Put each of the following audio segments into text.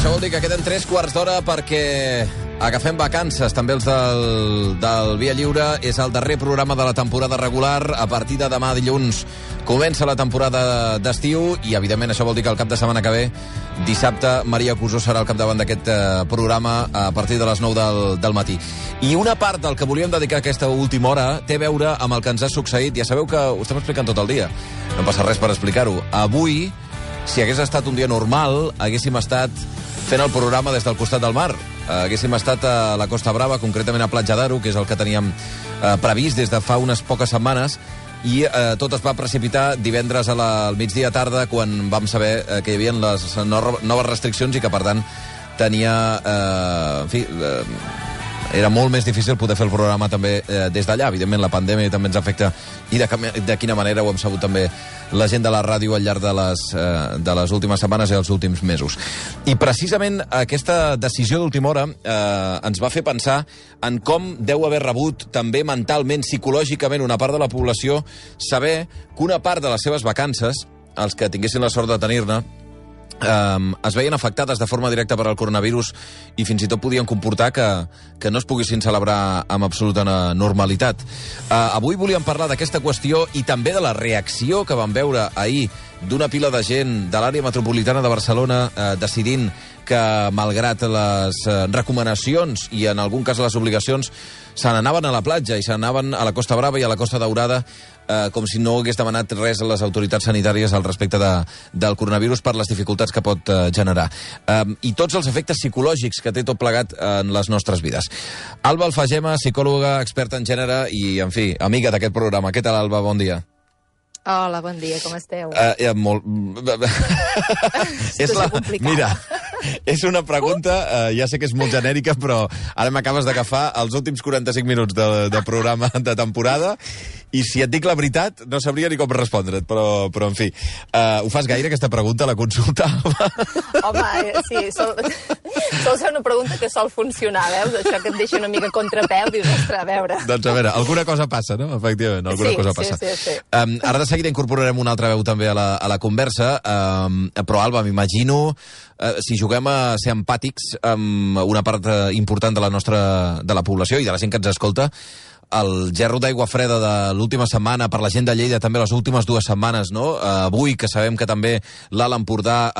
això vol dir que queden 3 quarts d'hora perquè agafem vacances. També els del Via Lliure. És el darrer programa de la temporada regular. A partir de demà dilluns comença la temporada d'estiu i, evidentment, això vol dir que el cap de setmana que ve, dissabte, Maria Cusó serà al capdavant d'aquest programa a partir de les 9 del matí. I una part del que volíem dedicar a aquesta última hora té a veure amb el que ens ha succeït. Ja sabeu que ho estem explicant tot el dia. No passa res per explicar-ho. Avui, si hagués estat un dia normal, haguéssim estat fent el programa des del costat del mar. Haguéssim estat a la Costa Brava, concretament a Platja d'Aro, que és el que teníem previst des de fa unes poques setmanes, i tot es va precipitar divendres al migdia tarda, quan vam saber que hi havia les noves restriccions i que, per tant, era molt més difícil poder fer el programa també des d'allà. Evidentment, la pandèmia també ens afecta, i de quina manera ho hem sabut també la gent de la ràdio al llarg de les últimes setmanes i els últims mesos. I precisament aquesta decisió d'última hora ens va fer pensar en com deu haver rebut també mentalment, psicològicament, una part de la població saber que una part de les seves vacances, els que tinguessin la sort de tenir-ne, es veien afectades de forma directa per al coronavirus i fins i tot podien comportar que no es poguessin celebrar amb absoluta normalitat. Avui volíem parlar d'aquesta qüestió i també de la reacció que vam veure ahir d'una pila de gent de l'àrea metropolitana de Barcelona decidint que, malgrat les recomanacions i, en algun cas, les obligacions, se n'anaven a la platja i se n'anaven a la Costa Brava i a la Costa Daurada com si no hagués demanat res a les autoritats sanitàries al respecte del coronavirus per les dificultats que pot generar. I tots els efectes psicològics que té tot plegat en les nostres vides. Alba Alfagema, psicòloga, experta en gènere i, en fi, amiga d'aquest programa. Què tal, Alba? Bon dia. Hola, bon dia, com esteu? Molt... Mira, és una pregunta, ja sé que és molt genèrica, però ara m'acabes d'agafar els últims 45 minuts de programa de temporada i, si et dic la veritat, no sabria ni com respondre't, però en fi. Ho fas gaire, aquesta pregunta, la consultava? Home, sí, sol ser una pregunta que sol funcionar, veus? Això que et deixa una mica contrapeu, dius, ostres, a veure. Doncs a veure, alguna cosa passa, no? Efectivament, alguna cosa passa. Sí. Ara de seguida incorporarem una altra veu també a la conversa, però, Alba, m'imagino, si juguem a ser empàtics amb una part important de la població i de la gent que ens escolta, el gerro d'aigua freda de l'última setmana, per la gent de Lleida també les últimes 2 setmanes, no? Avui, que sabem que també l'Alt Empordà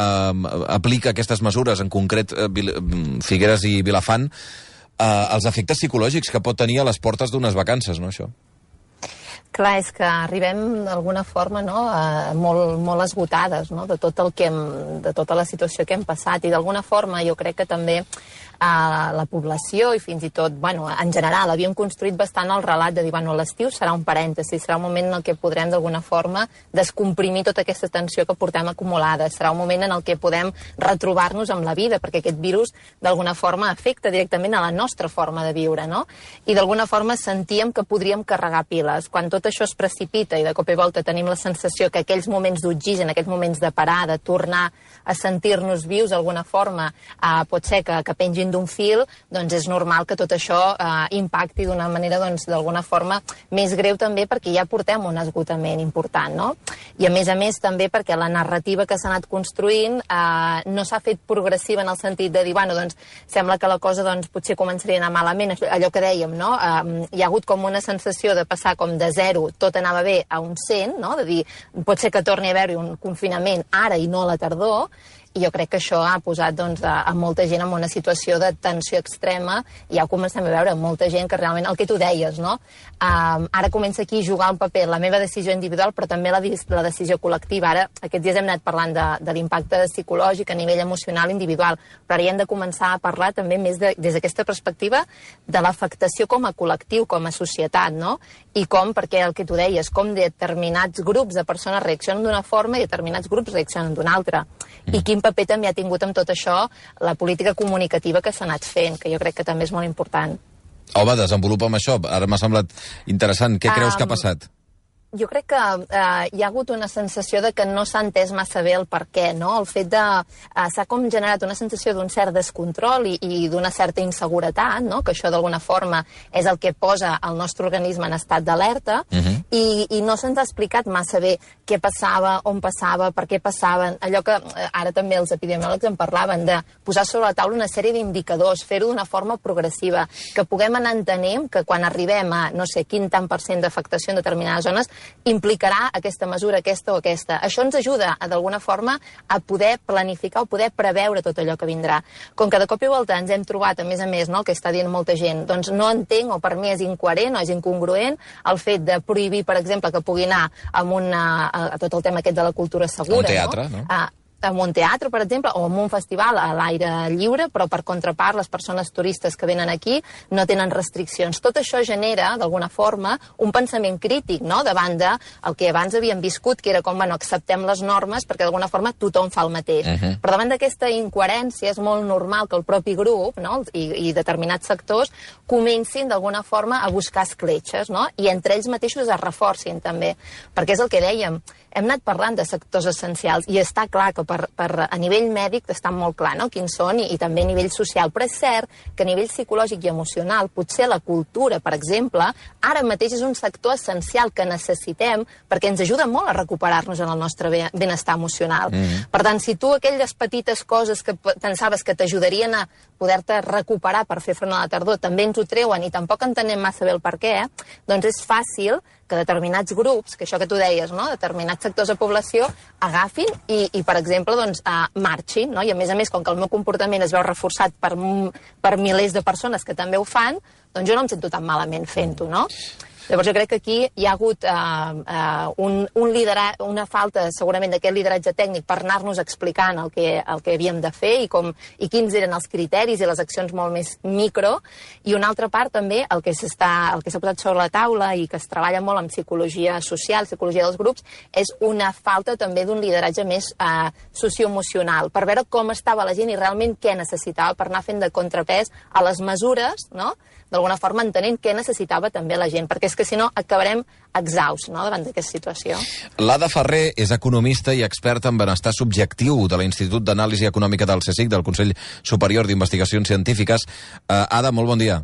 aplica aquestes mesures, en concret Figueres i Vilafant, els efectes psicològics que pot tenir a les portes d'unes vacances, no, això? Clar, és que arribem d'alguna forma, no, molt esgotades, no, de tota la situació que hem passat, i d'alguna forma jo crec que també la població i fins i tot, bueno, en general, havíem construït bastant el relat de dir, bueno, l'estiu serà un parèntesi, serà un moment en el que podrem d'alguna forma descomprimir tota aquesta tensió que portem acumulada, serà un moment en el que podem retrobar-nos amb la vida, perquè aquest virus d'alguna forma afecta directament a la nostra forma de viure, no? I d'alguna forma sentíem que podríem carregar piles. Quan tot això es precipita i de cop i volta tenim la sensació que aquells moments d'oxigen, aquells moments de parar, de tornar a sentir-nos vius d'alguna forma, pot ser que pengin d'un fil, doncs és normal que tot això impacti d'una manera, doncs, d'alguna forma més greu també, perquè ja portem un esgotament important, no? I a més també perquè la narrativa que s'ha anat construint no s'ha fet progressiva en el sentit de dir, bueno, doncs sembla que la cosa doncs potser començaria a anar malament, allò que dèiem, no? Hi ha hagut com una sensació de passar com de 0, tot anava bé, a un 100, no? De dir, pot ser que torni a haver-hi un confinament ara i no a la tardor, i jo crec que això ha posat doncs, a molta gent en una situació de tensió extrema, i ja ho comencem a veure, molta gent que realment, el que tu deies, no? Ara comença aquí a jugar un paper la meva decisió individual, però també la decisió col·lectiva. Ara, aquests dies hem anat parlant de l'impacte psicològic a nivell emocional individual, però ara hi hem de començar a parlar també més des d'aquesta perspectiva de l'afectació com a col·lectiu, com a societat, no? I com, perquè el que tu deies, com determinats grups de persones reaccionen d'una forma i determinats grups reaccionen d'una altra. I quin paper també ha tingut amb tot això la política comunicativa que s'ha anat fent, que jo crec que també és molt important. Home, desenvolupa'm això. Ara m'ha semblat interessant. Què creus que ha passat? Jo crec que hi ha hagut una sensació de que no s'ha entès massa bé el per què, no? El fet de... s'ha com generat una sensació d'un cert descontrol i d'una certa inseguretat, no? Que això d'alguna forma és el que posa el nostre organisme en estat d'alerta, i no se'ns ha explicat massa bé què passava, on passava, per què passaven, allò que ara també els epidemiòlegs en parlaven, de posar sobre la taula una sèrie d'indicadors, fer-ho d'una forma progressiva, que puguem anar entenent que quan arribem a no sé quin tant % d'afectació en determinades zones implicarà aquesta mesura, aquesta o aquesta. Això ens ajuda, d'alguna forma, a poder planificar o poder preveure tot allò que vindrà. Com que de cop i volta ens hem trobat, a més, no, el que està dient molta gent, doncs no entenc, o per mi és incoherent o és incongruent, el fet de prohibir, per exemple, que pugui anar a tot el tema aquest de la cultura segura. Un teatre, no? En un teatre, per exemple, o en un festival a l'aire lliure, però per contrapart les persones turistes que venen aquí no tenen restriccions. Tot això genera, d'alguna forma, un pensament crític, no?, davant del que abans havíem viscut, que era com, bueno, acceptem les normes perquè d'alguna forma tothom fa el mateix. Però davant d'aquesta incoherència és molt normal que el propi grup, no?, i determinats sectors comencin d'alguna forma a buscar escletxes, no?, i entre ells mateixos es reforcin també, perquè és el que dèiem, hem anat parlant de sectors essencials i està clar que a nivell mèdic està molt clar, no?, quins són i també a nivell social, però és cert que a nivell psicològic i emocional potser la cultura, per exemple, ara mateix és un sector essencial que necessitem perquè ens ajuda molt a recuperar-nos en el nostre benestar emocional. Per tant, si tu aquelles petites coses que pensaves que t'ajudarien a poder-te recuperar per fer front a la tardor també ens ho treuen i tampoc entenem massa bé el per què, doncs és fàcil que determinats grups, que això que tu deies, no?, determinats sectors de població agafin i per exemple, doncs, marxin, no?, i a més, com que el meu comportament es veu reforçat per milers de persones que també ho fan, doncs jo no em sento tan malament fent-ho, no? Llavors jo crec que aquí hi ha hagut una falta segurament d'aquest lideratge tècnic per anar-nos explicant el que havíem de fer i quins eren els criteris i les accions molt més micro, i una altra part també el que s'ha posat sobre la taula i que es treballa molt en psicologia social, psicologia dels grups, és una falta també d'un lideratge més socioemocional, per veure com estava la gent i realment què necessitava per anar fent de contrapès a les mesures, no?, d'alguna forma entenent què necessitava també la gent, perquè és que si no acabarem exhausts, no?, davant d'aquesta situació. L'Ada Ferrer és economista i experta en benestar subjectiu de l'Institut d'Anàlisi Econòmica del CSIC, del Consell Superior d'Investigacions Científiques. Ada, molt bon dia.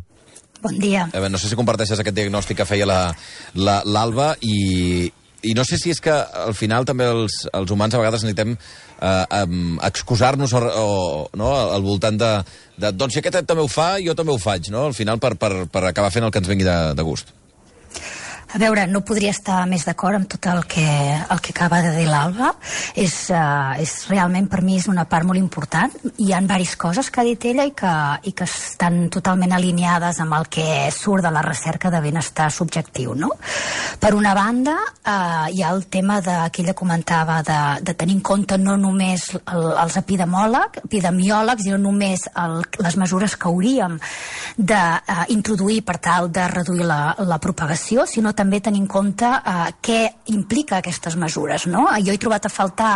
Bon dia. No sé si comparteixes aquest diagnòstic que feia l'Alba i no sé si és que al final també els humans a vegades necessitem excusar-nos no, al voltant de doncs si aquest també ho fa, jo també ho faig, no? Al final per acabar fent el que ens vingui de gust. A veure, no podria estar més d'acord amb tot el que acaba de dir l'Alba. És realment, per mi, és una part molt important. Hi ha diverses coses que ha dit ella i que estan totalment alineades amb el que surt de la recerca de benestar subjectiu, no? Per una banda, hi ha el tema que ella comentava de tenir en compte no només els epidemiòlegs i no només les mesures que hauríem d'introduir per tal de reduir la propagació, sinó també tenir en compte què implica aquestes mesures, no? Jo he trobat a faltar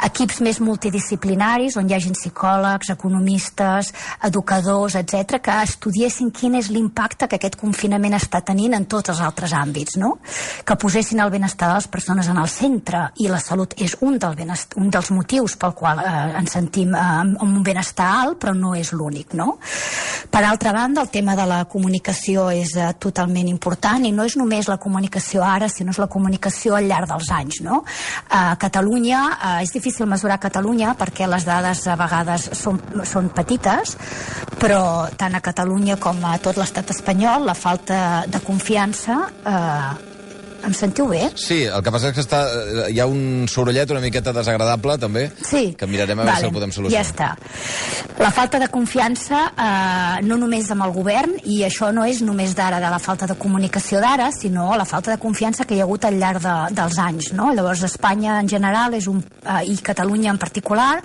equips més multidisciplinaris on hi hagin psicòlegs, economistes, educadors, etc., que estudiessin quin és l'impacte que aquest confinament està tenint en tots els altres àmbits, no? Que posessin el benestar de les persones en el centre, i la salut és un dels motius pel qual ens sentim amb un benestar alt, però no és l'únic, no? Per altra banda, el tema de la comunicació és totalment important, i no és només la comunicació ara, sinó és la comunicació al llarg dels anys, no? A Catalunya, és difícil mesurar Catalunya perquè les dades a vegades són petites, però tant a Catalunya com a tot l'estat espanyol la falta de confiança... Em sentiu bé? Sí, el que passa és que hi ha un sorollet una miqueta desagradable, també, sí, que mirarem a veure si el podem solucionar. Ja està. La falta de confiança, no només amb el govern, i això no és només d'ara, de la falta de comunicació d'ara, sinó la falta de confiança que hi ha hagut al llarg dels anys, no? Llavors, Espanya en general i Catalunya en particular,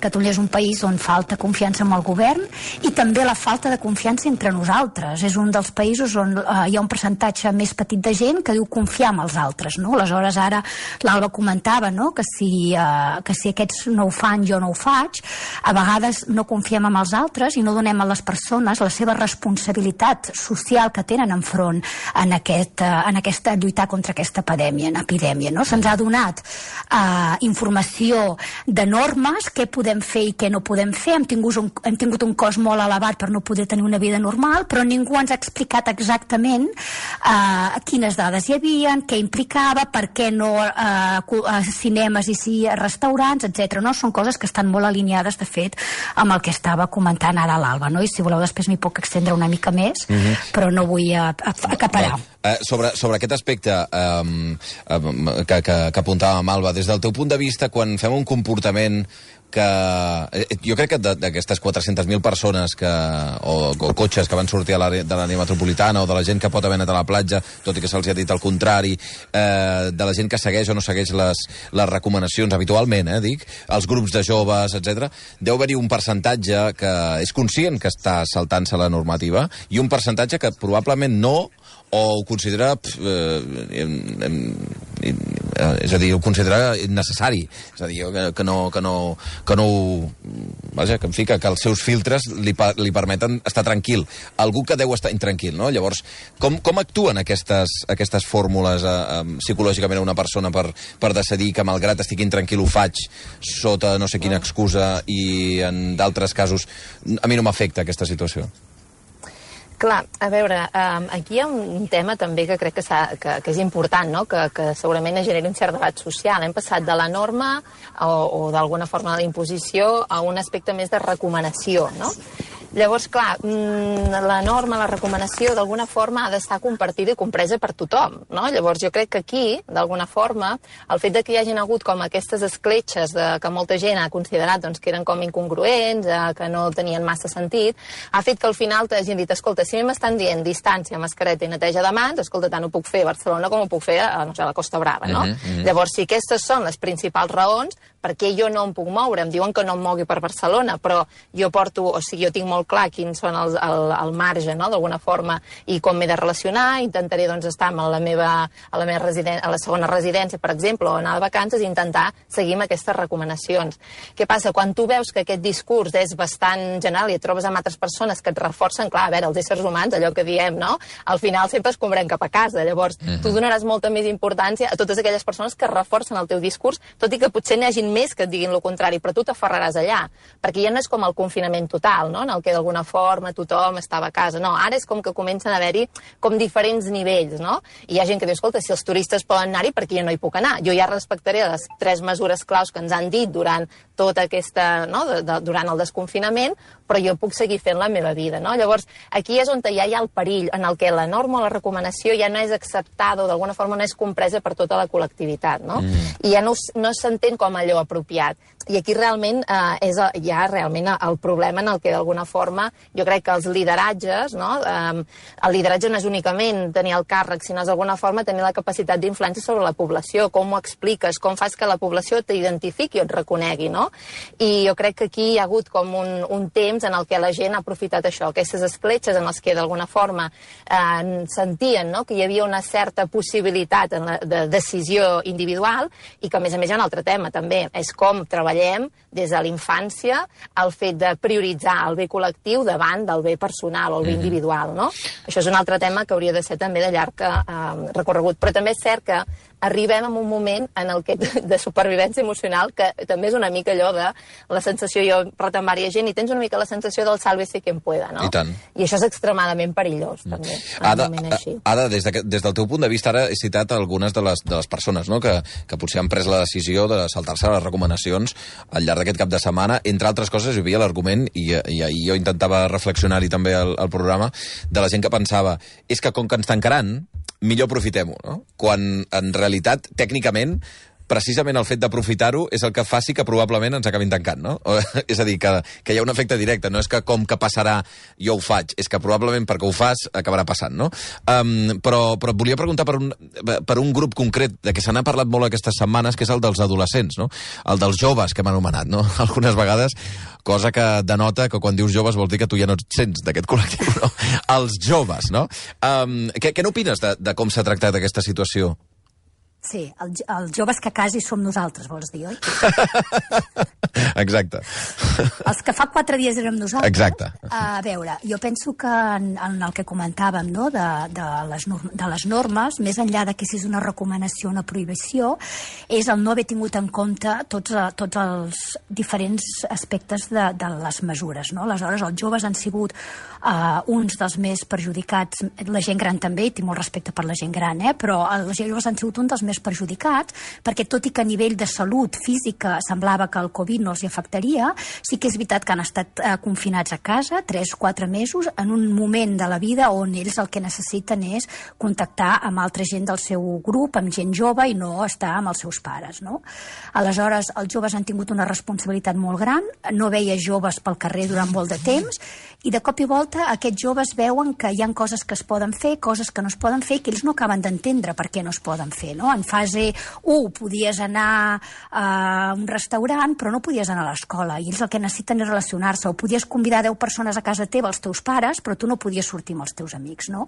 Catalunya és un país on falta confiança amb el govern, i també la falta de confiança entre nosaltres. És un dels països on hi ha un percentatge més petit de gent que diu confiar en els altres, no? Aleshores, ara l'Alba comentava, no?, que si aquests no ho fan, jo no ho faig. A vegades no confiem en els altres i no donem a les persones la seva responsabilitat social que tenen enfront en aquesta lluitar contra aquesta epidèmia, no? Se'ns ha donat informació de normes, què podem fer i què no podem fer. Hem tingut un cost molt elevat per no poder tenir una vida normal, però ningú ens ha explicat exactament quines dades entrades hi havia, què implicava, per què no cinemes i sí restaurants, etc. No? Són coses que estan molt alineades, de fet, amb el que estava comentant ara l'Alba, no? I si voleu després m'hi puc extendre una mica més, però no vull acaparar. Sobre aquest aspecte que apuntàvem, Alba, des del teu punt de vista, quan fem un comportament que... Jo crec que d'aquestes 400.000 persones o cotxes que van sortir de l'àrea metropolitana o de la gent que pot haver anat a la platja, tot i que se'ls ha dit el contrari, de la gent que segueix o no segueix les recomanacions habitualment, dic, els grups de joves, etc. Deu haver-hi un percentatge que és conscient que està saltant-se la normativa i un percentatge que probablement no, o ho considera és a dir, ho considera innecessari, és a dir, que els seus filtres li permeten estar tranquil, algú que deu estar intranquil, no? Llavors, com actuen aquestes fórmules psicològicament a una persona per decidir que malgrat estigui intranquil ho faig sota no sé quina excusa i en d'altres casos a mi no m'afecta aquesta situació? Clar, a veure, aquí hi ha un tema també que crec que és important, no? Que segurament generi un cert debat social. Hem passat de la norma o d'alguna forma de la imposició a un aspecte més de recomanació, no? Llavors, clar, la norma, la recomanació, d'alguna forma ha d'estar compartida i compresa per tothom, no? Llavors, jo crec que aquí, d'alguna forma, el fet que hi hagin hagut com aquestes escletxes que molta gent ha considerat doncs, que eren com incongruents, que no tenien massa sentit, ha fet que al final t'hagin dit, escolta, si m'estan dient distància, mascareta i neteja de mans, escolta, tant ho puc fer a Barcelona com ho puc fer a la Costa Brava, no? Llavors, si aquestes són les principals raons, per què jo no em puc moure? Em diuen que no em mogui per Barcelona, però jo jo tinc molt clar quins són el marge, no?, d'alguna forma, i com m'he de relacionar. Intentaré doncs, estar a la segona residència, per exemple, o anar de vacances, i intentar seguir amb aquestes recomanacions. Què passa? Quan tu veus que aquest discurs és bastant general i et trobes amb altres persones que et reforcen, clar, a veure, els éssers humans, allò que diem, no?, al final sempre es comprem cap a casa. Llavors, tu donaràs molta més importància a totes aquelles persones que reforcen el teu discurs, tot i que potser n'hi hagin més que et diguin el contrari, però tu t'aferraràs allà, perquè ja no és com el confinament total, no?, en el que d'alguna forma tothom estava a casa. No, ara és com que comencen a haver-hi com diferents nivells, no? I hi ha gent que diu, escolta, si els turistes poden anar-hi, perquè jo no hi puc anar? Jo ja respectaré les 3 mesures claus que ens han dit durant tota aquesta, no?, durant el desconfinament, però jo puc seguir fent la meva vida, no? Llavors, aquí és on ja hi ha el perill, en el que la norma o la recomanació ja no és acceptada o d'alguna forma no és compresa per tota la col·lectivitat, no? I ja no s'entén com allò apropiat. I aquí realment és ja realment el problema en el que d'alguna forma jo crec que els lideratges, no? El lideratge no és únicament tenir el càrrec, sinó és d'alguna forma tenir la capacitat d'influència sobre la població, com ho expliques, com fas que la població t'identifiqui o et reconegui, no? I jo crec que aquí hi ha hagut com un temps en el que la gent ha aprofitat això, aquestes escletxes en les que d'alguna forma sentien, no?, que hi havia una certa possibilitat de decisió individual i que a més hi ha un altre tema també, és com treballem des de la infància el fet de prioritzar el bé col·lectiu davant del bé personal o el bé individual, no? Això és un altre tema que hauria de ser també de llarg recorregut, però també és cert que arribem a un moment en el que de supervivència emocional que també és una mica allò de la sensació, jo retam varia gent i tens una mica la sensació del sálvese quien pueda, no? I tant. I això és extremadament perillós, també, en un moment així. Ada, des del teu punt de vista, ara he citat algunes de les persones, no?, que potser han pres la decisió de saltar-se les recomanacions al llarg d'aquest cap de setmana. Entre altres coses, hi havia l'argument, i jo intentava reflexionar-hi també al programa, de la gent que pensava, és que com que ens tancaran, millor aprofitem-ho, no? Quan en realitat, tècnicament, precisament el fet d'aprofitar-ho és el que faci que probablement ens acabin tancant, no? És a dir, que hi ha un efecte directe, no és que com que passarà jo ho faig, és que probablement perquè ho fas acabarà passant, no? Però et volia preguntar per un grup concret de què se n'ha parlat molt aquestes setmanes, que és el dels adolescents, no? El dels joves, que hem anomenat, no? Algunes vegades, cosa que denota que quan dius joves vol dir que tu ja no et sents d'aquest col·lectiu, no? Els joves, no? Què n'opines de com s'ha tractat aquesta situació? Sí, els joves que quasi som nosaltres, vols dir, oi? Exacte. Els que fa 4 dies érem nosaltres. Exacte. A veure, jo penso que en el que comentàvem, no?, de les normes, més enllà de que si és una recomanació o una prohibició, és el no haver tingut en compte tots els diferents aspectes de les mesures, no? Aleshores, els joves han sigut uns dels més perjudicats, la gent gran també, i tinc molt respecte per la gent gran, però els joves han sigut un dels més perjudicats, perquè tot i que a nivell de salut física semblava que el Covid no els hi afectaria, sí que és veritat que han estat confinats a casa 3-4 mesos en un moment de la vida on ells el que necessiten és contactar amb altra gent del seu grup, amb gent jove, i no estar amb els seus pares, no? Aleshores, els joves han tingut una responsabilitat molt gran, no veia joves pel carrer durant molt de temps, i de cop i volta aquests joves veuen que hi ha coses que es poden fer, coses que no es poden fer, que ells no acaben d'entendre per què no es poden fer, no? En fase 1 podies anar a un restaurant, però no podies anar a l'escola, i ells el que necessiten és relacionar-se, o podies convidar 10 persones a casa teva, els teus pares, però tu no podies sortir amb els teus amics, no?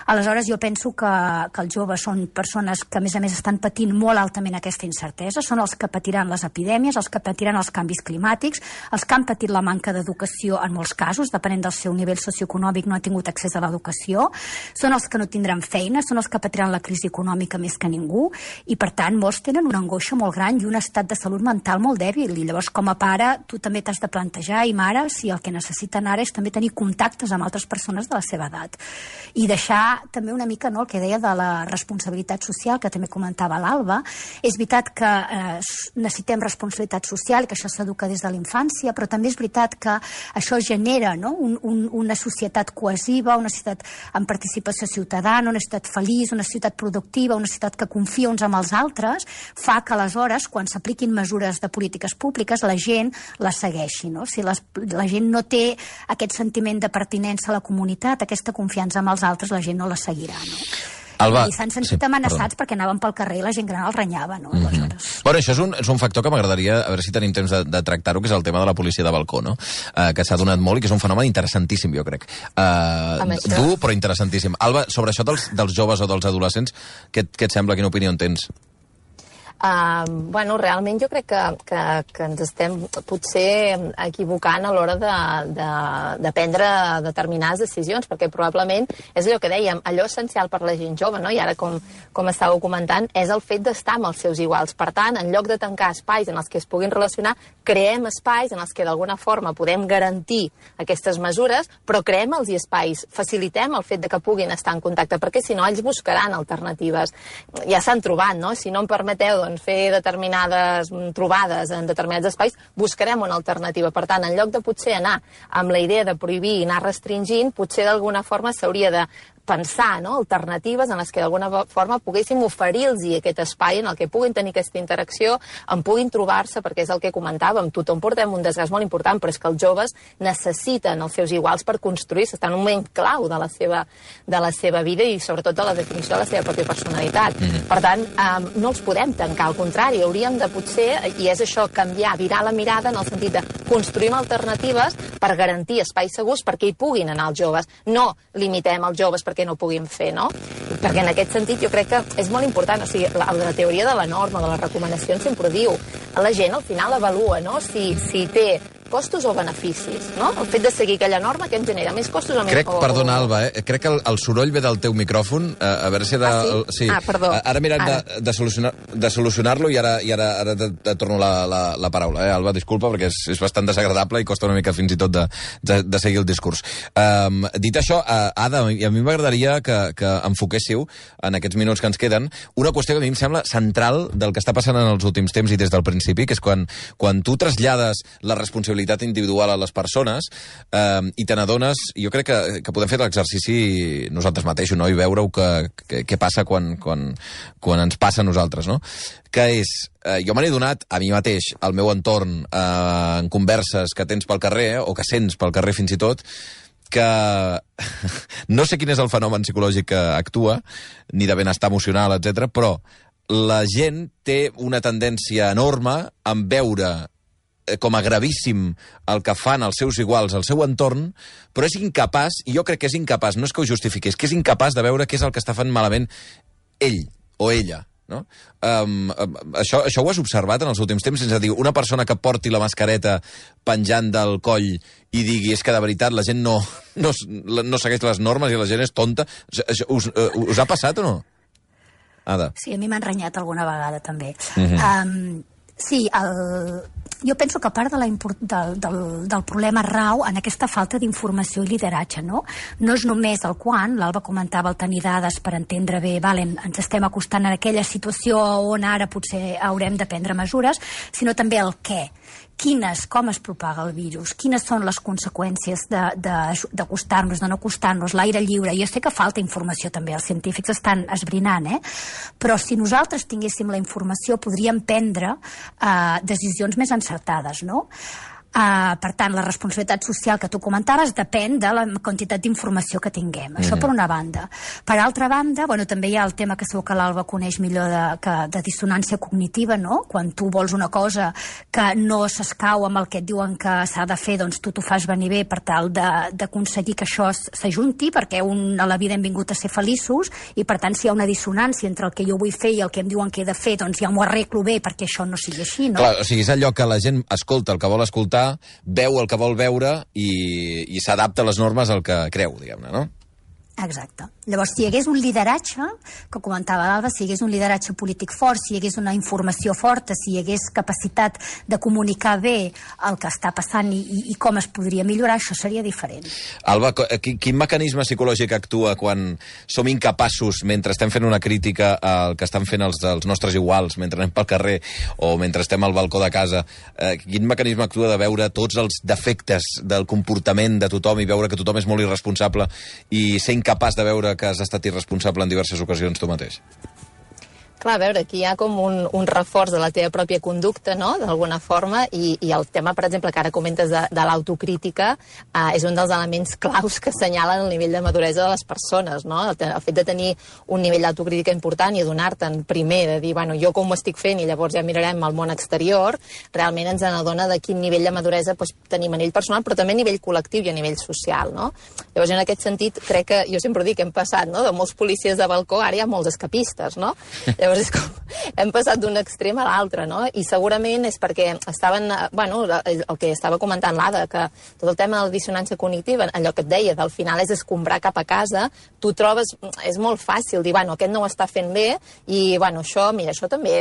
Aleshores, jo penso que els joves són persones que, a més, estan patint molt altament aquesta incertesa, són els que patiran les epidèmies, els que patiran els canvis climàtics, els que han patit la manca d'educació en molts casos, depenent del seu nivell socioeconòmic, no han tingut accés a l'educació, són els que no tindran feina, són els que patiran la crisi econòmica més que ningú, i per tant molts tenen una angoixa molt gran i un estat de salut mental molt dèbil, i llavors com a pare tu també t'has de plantejar, i mare, si el que necessiten ara és també tenir contactes amb altres persones de la seva edat, i deixar també una mica, no, el que deia de la responsabilitat social, que també comentava l'Alba. És veritat que necessitem responsabilitat social, que això s'educa des de la infància, però també és veritat que això genera, no, una societat cohesiva, una societat amb participació ciutadana, una societat feliç, una societat productiva, una societat que confia uns amb els altres, fa que aleshores, quan s'apliquin mesures de polítiques públiques, la gent les segueixi, no? Si la gent no té aquest sentiment de pertinença a la comunitat, aquesta confiança amb els altres, la gent no la seguirà, no? Alba, i s'han sentit amenaçats perquè anaven pel carrer i la gent gran els renyava, no? Aleshores. Bueno, això és un factor que m'agradaria, a veure si tenim temps de tractar-ho, que és el tema de la policia de balcó, no? Que s'ha donat molt i que és un fenomen interessantíssim, jo crec. Dur, però interessantíssim. Alba, sobre això dels joves o dels adolescents, què et sembla? Quina opinió en tens? Bueno, realment jo crec que ens estem potser equivocant a l'hora de prendre determinades decisions, perquè probablement és allò que dèiem, allò essencial per la gent jove, no? I ara, com estàveu comentant, és el fet d'estar amb els seus iguals. Per tant, en lloc de tancar espais en els que es puguin relacionar, creem espais en els que d'alguna forma podem garantir aquestes mesures, però creem els espais, facilitem el fet de que puguin estar en contacte, perquè si no ells buscaran alternatives. Ja s'han trobat, no? Si no em permeteu fer determinades trobades en determinats espais, buscarem una alternativa. Per tant, en lloc de potser anar amb la idea de prohibir i anar restringint, potser d'alguna forma s'hauria de pensar, no?, alternatives en les que d'alguna forma poguéssim oferir-los aquest espai en el que puguin tenir aquesta interacció, en puguin trobar-se, perquè és el que comentàvem, tothom portem un desgast molt important, però és que els joves necessiten els seus iguals per construir-se, estan en un moment clau de la seva vida i sobretot de la definició de la seva pròpia personalitat. Per tant, no els podem tancar, al contrari, hauríem de potser, i és això, canviar, virar la mirada en el sentit de construir alternatives per garantir espais segurs perquè hi puguin anar els joves. No limitem els joves perquè no puguin fer, no? Perquè en aquest sentit jo crec que és molt important, o sigui, la teoria de la norma, de les recomanacions, sempre ho diu. La gent al final avalua, no?, si té costos o beneficis, no? El fet de seguir aquella norma que em genera més costos o més... Perdona, Alba, crec que el soroll ve del teu micròfon, a veure si... Sí? Perdó. Ara mirem de solucionar-lo i ara te torno la paraula, Alba, disculpa, perquè és bastant desagradable i costa una mica fins i tot de seguir el discurs. Dit això, Ada, a mi m'agradaria que enfoquéssiu en aquests minuts que ens queden una qüestió que a mi em sembla central del que està passant en els últims temps i des del principi, que és quan tu trasllades la responsabilitat individual a les persones i te n'adones, jo crec que podem fer l'exercici nosaltres mateixos, no?, i veure què passa quan ens passa a nosaltres, no? Que és, jo me n'he donat a mi mateix, al meu entorn, en converses que tens pel carrer, o que sents pel carrer fins i tot, que no sé quin és el fenomen psicològic que actua, ni de benestar emocional, etc, però la gent té una tendència enorme en veure com a gravíssim el que fan els seus iguals al seu entorn, però és incapaç, i jo crec que és incapaç, no és que ho justifiqui, és que és incapaç de veure què és el que està fent malament ell o ella. no? Això ho has observat en els últims temps, sense dir, una persona que porti la mascareta penjant del coll i digui és que de veritat la gent no segueix les normes i la gent és tonta. Us ha passat o no? Ada. Sí, a mi m'han renyat alguna vegada també. Sí, jo penso que part del problema rau en aquesta falta d'informació i lideratge, no? No és només el quan, l'Alba comentava el tenir dades per entendre bé, ens estem acostant a aquella situació on ara potser haurem de prendre mesures, sinó també el què. Com es propaga el virus, quines són les conseqüències d'acostar-nos, de no acostar-nos, l'aire lliure. Jo sé que falta informació també, els científics estan esbrinant, però si nosaltres tinguéssim la informació podríem prendre decisions més encertades, no? Per tant, la responsabilitat social que tu comentaves depèn de la quantitat d'informació que tinguem. Això per una banda. Per altra banda, també hi ha el tema que segur que l'Alba coneix millor de dissonància cognitiva, no? Quan tu vols una cosa que no s'escau amb el que et diuen que s'ha de fer, doncs tu t'ho fas venir bé per tal d'aconseguir que això s'ajunti, perquè a la vida hem vingut a ser feliços, i per tant si hi ha una dissonància entre el que jo vull fer i el que em diuen que he de fer, doncs ja m'ho arreglo bé perquè això no sigui així, no? Clar, o sigui, és allò que la gent escolta el que vol escoltar, veu el que vol veure i s'adapta a les normes al que creu, diguem-ne, no? Exacte. Llavors, si hi hagués un lideratge, que comentava l'Alba, si hi hagués un lideratge polític fort, si hi hagués una informació forta, si hi hagués capacitat de comunicar bé el que està passant i com es podria millorar, això seria diferent. Alba, quin mecanisme psicològic actua quan som incapaços, mentre estem fent una crítica al que estan fent els nostres iguals, mentre anem pel carrer o mentre estem al balcó de casa, quin mecanisme actua de veure tots els defectes del comportament de tothom i veure que tothom és molt irresponsable i ser incapaç de veure que has estat irresponsable en diverses ocasions tu mateix? Clar, a veure, aquí hi ha com un reforç de la teva pròpia conducta, no?, d'alguna forma, i el tema, per exemple, que ara comentes de l'autocrítica, és un dels elements claus que assenyalen el nivell de maduresa de les persones, no? El fet de tenir un nivell d'autocrítica important i adonar-te'n primer, de dir, bueno, jo com ho estic fent i llavors ja mirarem el món exterior, realment ens n'adona de quin nivell de maduresa tenim a nivell personal, però també a nivell col·lectiu i a nivell social, no? Llavors, en aquest sentit, crec que, jo sempre dic que hem passat, no?, de molts policies de balcó, ara hi ha molts escapistes, no? Llavors és com, hem passat d'un extrem a l'altre, no? I segurament és perquè estaven, bueno, el que estava comentant l'Ada, que tot el tema de la dissonància cognitiva, allò que et deia, del final és escombrar cap a casa, tu trobes, és molt fàcil dir, bueno, aquest no ho està fent bé, i, bueno, això, mira, això també,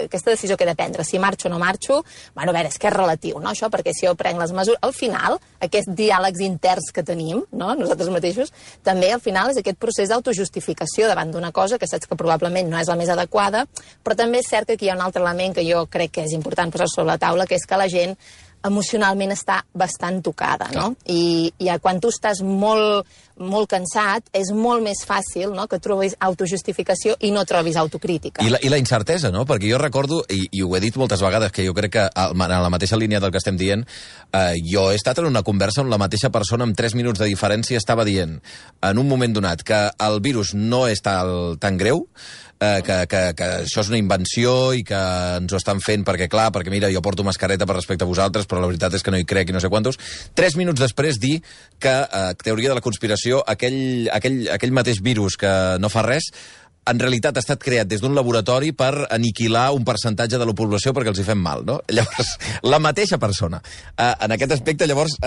aquesta decisió que he de prendre, si marxo o no marxo, bueno, a veure, és que és relatiu, no, això, perquè si jo prenc les mesures, al final, aquests diàlegs interns que tenim, no, nosaltres mateixos, també al final és aquest procés d'autojustificació davant d'una cosa que saps que probablement no és la més adequada, però també és cert que aquí hi ha un altre element que jo crec que és important posar sobre la taula, que és que la gent emocionalment està bastant tocada, no? I quan tu estàs molt cansat, és molt més fàcil, no?, que trobis autojustificació i no trobis autocrítica. I la incertesa, no? Perquè jo recordo, i ho he dit moltes vegades, que jo crec que en la mateixa línia del que estem dient, jo he estat en una conversa on la mateixa persona amb 3 minuts de diferència estava dient, en un moment donat, que el virus no és tan greu, que això és una invenció i que ens ho estan fent perquè, clar, perquè mira, jo porto mascareta per respecte a vosaltres, però la veritat és que no hi crec i no sé quantos. 3 minuts després dir que, teoria de la conspiració, aquell mateix virus que no fa res, en realitat ha estat creat des d'un laboratori per aniquilar un percentatge de la població perquè els hi fem mal, no? Llavors, la mateixa persona. En aquest aspecte, llavors,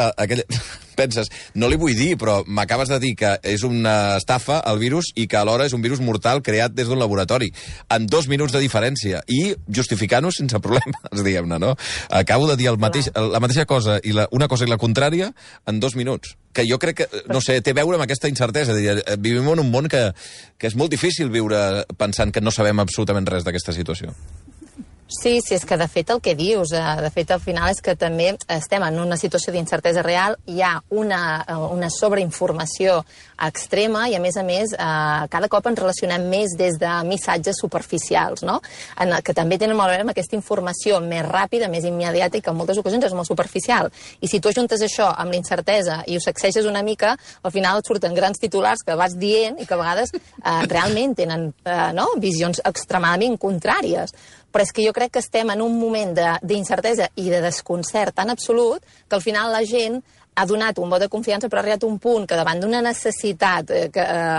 penses, no li vull dir, però m'acabes de dir que és una estafa, el virus, i que alhora és un virus mortal creat des d'un laboratori. En 2 minuts de diferència. I justificant-ho sense problemes, diguem-ne, no? Acabo de dir la mateixa cosa, una cosa i la contrària, en 2 minuts. Que jo crec que, no sé, té a veure amb aquesta incertesa. Vivim en un món que és molt difícil viure pensant que no sabem absolutament res d'aquesta situació. Sí, és que de fet el que dius, de fet al final és que també estem en una situació d'incertesa real, hi ha una sobreinformació extrema i a més cada cop ens relacionem més des de missatges superficials, no? Que també tenen molt a veure amb aquesta informació més ràpida, més immediata i que en moltes ocasions és molt superficial. I si tu ajuntes això amb l'incertesa i ho sacseixes una mica, al final et surten grans titulars que vas dient i que a vegades realment tenen visions extremadament contràries. Però és que jo crec que estem en un moment d'incertesa i de desconcert tan absolut que al final la gent ha donat un vot de confiança, però ha arribat un punt que davant d'una necessitat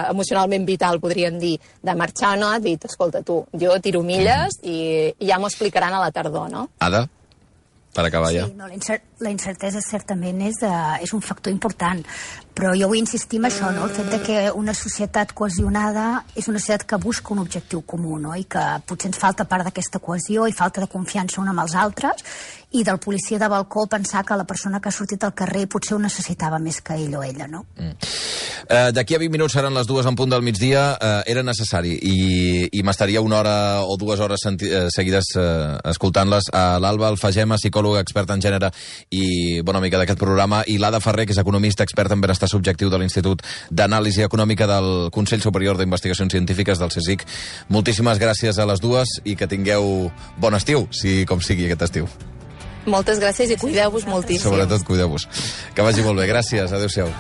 emocionalment vital, podríem dir, de marxar o no, ha dit, escolta tu, jo tiro milles i ja m'ho explicaran a la tardor, no? Ada, per acabar ja. Sí, no, la incertesa certament és un factor important, però jo vull insistir en això, no? El fet de que una societat cohesionada és una societat que busca un objectiu comú, no? I que potser ens falta part d'aquesta cohesió i falta de confiança un amb els altres, i del policia de balcó pensar que la persona que ha sortit al carrer potser ho necessitava més que ell o ella, no? D'aquí a 20 minuts seran les 2 en punt del migdia. Era necessari i m'estaria 1 hora o 2 hores seguides escoltant-les. L'Alba Alfagema, psicòloga experta en gènere i bona amiga d'aquest programa, i l'Ada Ferrer, que és economista experta en benestar subjectiu de l'Institut d'Anàlisi Econòmica del Consell Superior d'Investigacions Científiques del CSIC. Moltíssimes gràcies a les dues i que tingueu bon estiu, com sigui aquest estiu. Moltes gràcies i cuideu-vos moltíssim. Sobretot cuideu-vos. Que vagi molt bé. Gràcies. Adéu-siau.